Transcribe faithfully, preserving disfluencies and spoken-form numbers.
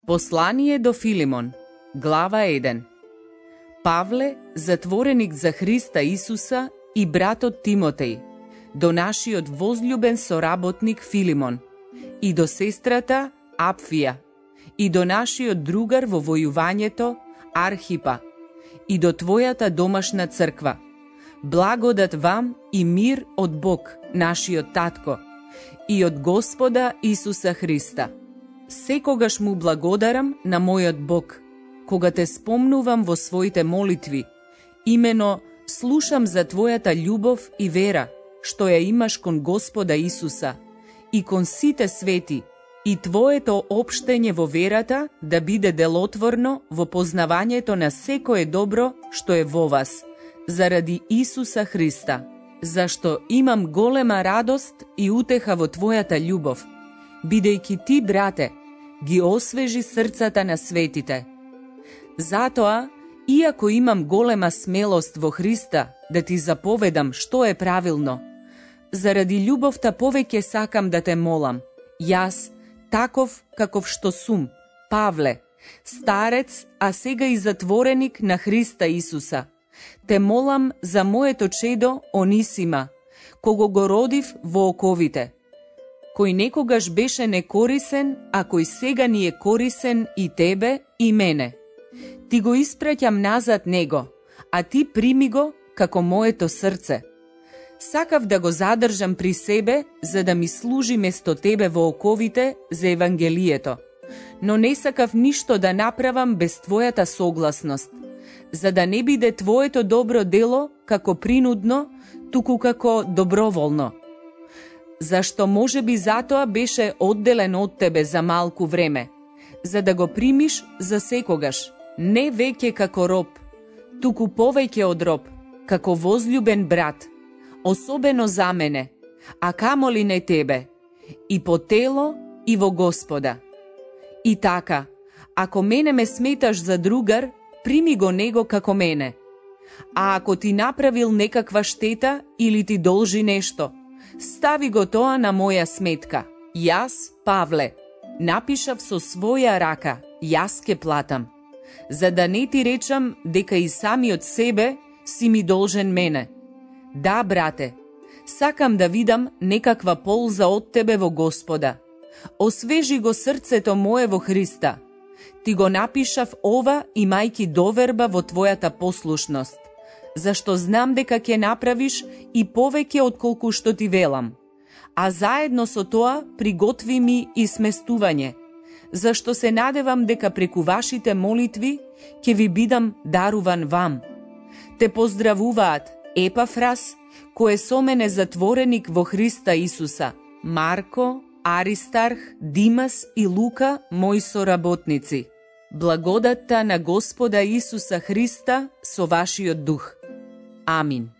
Послание до Филимон, глава еден. Павле, затвореник за Христа Исуса и братот Тимотеј, до нашиот возљубен соработник Филимон, и до сестрата Апфија, и до нашиот другар во војувањето Архипа, и до твојата домашна црква. Благодат вам и мир од Бог, нашиот Татко, и од Господа Исуса Христа. Секогаш му благодарам на мојот Бог, кога те спомнувам во своите молитви, имено слушам за твојата љубов и вера, што ја имаш кон Господа Исуса и кон сите свети, и твоето општење во верата да биде делотворно во познавањето на секое добро што е во вас, заради Исуса Христа, зашто имам голема радост и утеха во твојата љубов, бидејќи ти, брате, ги освежи срцата на светите. Затоа, иако имам голема смелост во Христа да ти заповедам што е правилно, заради љубовта повеќе сакам да те молам, јас, таков каков што сум, Павле, старец, а сега и затвореник на Христа Исуса, те молам за моето чедо Онисима, кого го родив во оковите, кој некогаш беше некорисен, а кој сега ни е корисен и тебе и мене. Ти го испраќам назад него, а ти прими го како моето срце. Сакав да го задржам при себе, за да ми служи место тебе во оковите за Евангелието, но не сакав ништо да направам без твојата согласност, за да не биде твоето добро дело како принудно, туку како доброволно. Зашто може би затоа беше одделен од тебе за малку време, за да го примиш за секогаш, не веќе како роб, туку повеќе од роб, како возљубен брат, особено за мене, а камоли не тебе, и по тело, и во Господа. И така, ако мене ме сметаш за другар, прими го него како мене. А ако ти направил некаква штета или ти должи нешто, стави го тоа на моја сметка. Јас, Павле, напишав со своја рака, јас ке платам, за да не ти речам дека и самиот себе си ми должен мене. Да, брате, сакам да видам некаква полза од тебе во Господа. Освежи го срцето мое во Христа. Ти го напишав ова имајки доверба во твојата послушност, зашто знам дека ќе направиш и повеќе отколку што ти велам. А заедно со тоа приготви ми и сместување, зашто се надевам дека преку вашите молитви ќе ви бидам даруван вам. Те поздравуваат Епафрас, кој е со мене затвореник во Христа Исуса, Марко, Аристарх, Димас и Лука, мои соработници. Благодатта на Господа Исуса Христа со вашиот дух. Амин.